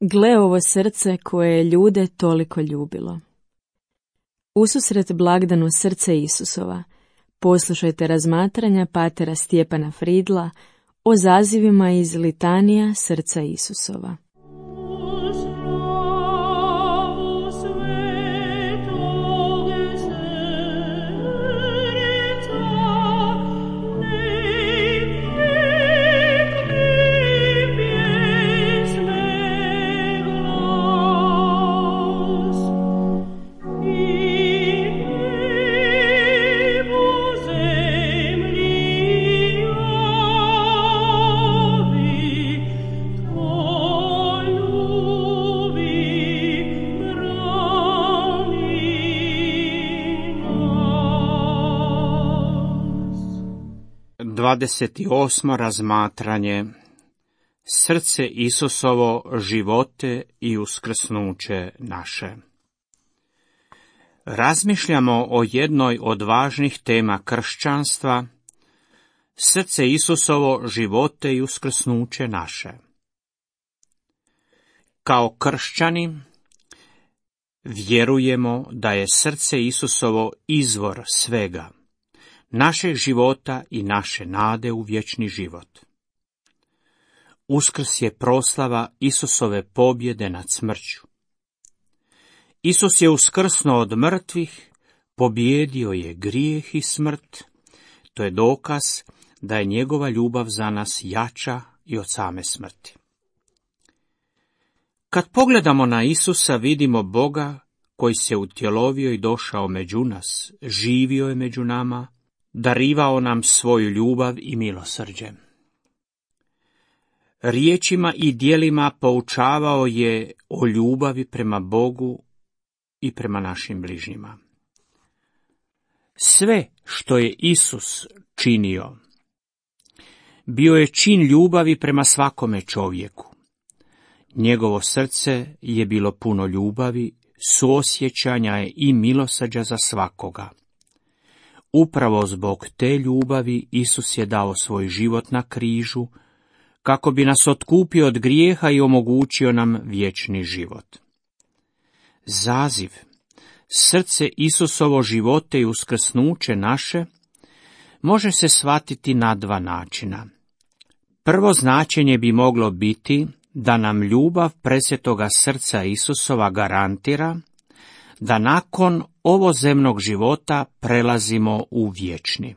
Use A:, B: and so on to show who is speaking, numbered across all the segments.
A: Gle ovo srce koje je ljude toliko ljubilo. Ususret blagdanu srce Isusova, poslušajte razmatranja patera Stjepana Fridla o zazivima iz litanija srca Isusova.
B: Dvadeset osmo razmatranje. Srce Isusovo, živote i uskrsnuće naše. Razmišljamo o jednoj od važnih tema kršćanstva, srce Isusovo, živote i uskrsnuće naše. Kao kršćani vjerujemo da je srce Isusovo izvor svega, našeg života i naše nade u vječni život. Uskrs je proslava Isusove pobjede nad smrću. Isus je uskrsnuo od mrtvih, pobjedio je grijeh i smrt. To je dokaz da je njegova ljubav za nas jača i od same smrti. Kad pogledamo na Isusa, vidimo Boga koji se utjelovio i došao među nas, živio je među nama, darivao nam svoju ljubav i milosrđe. Riječima i djelima poučavao je o ljubavi prema Bogu i prema našim bližnjima. Sve što je Isus činio, bio je čin ljubavi prema svakome čovjeku. Njegovo srce je bilo puno ljubavi, suosjećanja i milosrđa za svakoga. Upravo zbog te ljubavi Isus je dao svoj život na križu, kako bi nas otkupio od grijeha i omogućio nam vječni život. Zaziv, srce Isusovo, živote i uskrsnuće naše, može se shvatiti na dva načina. Prvo značenje bi moglo biti da nam ljubav presvetoga srca Isusova garantira da nakon ovozemnog života prelazimo u vječni.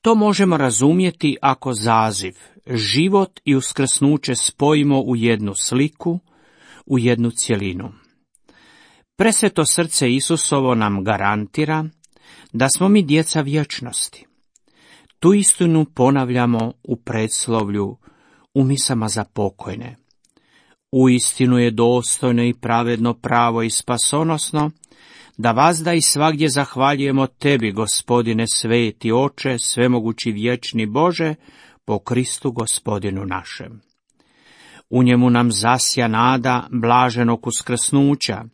B: To možemo razumjeti ako zaziv, život i uskrsnuće spojimo u jednu sliku, u jednu cjelinu. Presveto srce Isusovo nam garantira da smo mi djeca vječnosti. Tu istinu ponavljamo u predslovlju, u misama za pokojne. Uistinu je dostojno i pravedno, pravo i spasonosno da vazda i svagdje zahvaljujemo Tebi, Gospodine sveti Oče, svemogući vječni Bože, po Kristu Gospodinu našem. U njemu nam zasja nada blaženog uskrsnuća,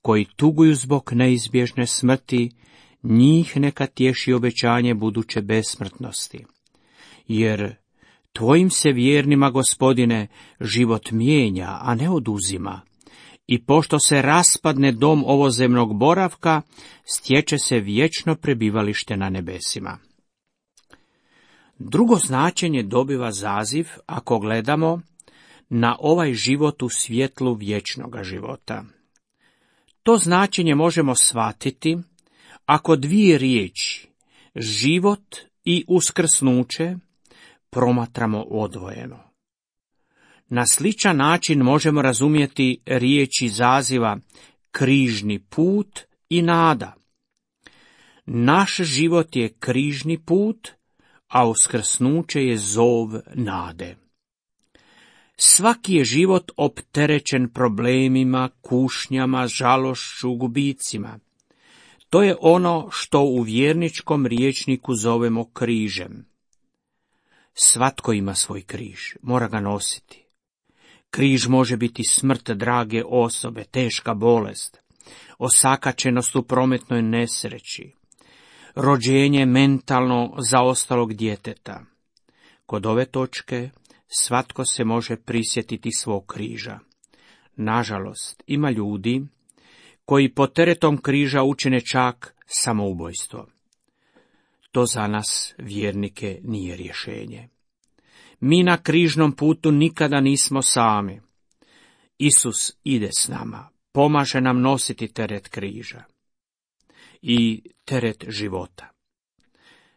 B: koji tuguju zbog neizbježne smrti, njih neka tješi obećanje buduće besmrtnosti. Jer Tvojim se vjernima, Gospodine, život mijenja, a ne oduzima. I pošto se raspadne dom ovozemnog boravka, stječe se vječno prebivalište na nebesima. Drugo značenje dobiva zaziv ako gledamo na ovaj život u svjetlu vječnoga života. To značenje možemo shvatiti ako dvije riječi, život i uskrsnuće, promatramo odvojeno. Na sličan način možemo razumjeti riječi zaziva križni put i nada. Naš život je križni put, a uskrsnuće je zov nade. Svaki je život opterećen problemima, kušnjama, žalošću, gubicima. To je ono što u vjerničkom rječniku zovemo križem. Svatko ima svoj križ, mora ga nositi. Križ može biti smrt drage osobe, teška bolest, osakačenost u prometnoj nesreći, rođenje mentalno zaostalog djeteta. Kod ove točke svatko se može prisjetiti svog križa. Nažalost, ima ljudi koji pod teretom križa učine čak samoubojstvo. To za nas, vjernike, nije rješenje. Mi na križnom putu nikada nismo sami. Isus ide s nama, pomaže nam nositi teret križa i teret života.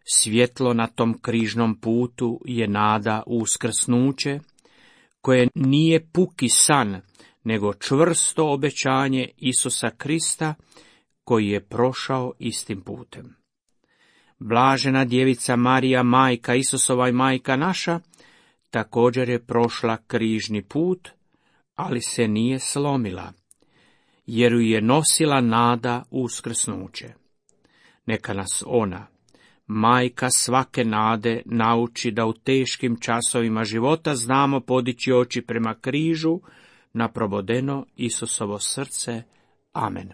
B: Svjetlo na tom križnom putu je nada u uskrsnuće, koje nije puki san, nego čvrsto obećanje Isusa Krista, koji je prošao istim putem. Blažena djevica Marija, majka Isusova i majka naša, također je prošla križni put, ali se nije slomila, jer ju je nosila nada u uskrsnuće. Neka nas ona, majka svake nade, nauči da u teškim časovima života znamo podići oči prema križu, na probodeno Isusovo srce. Amen.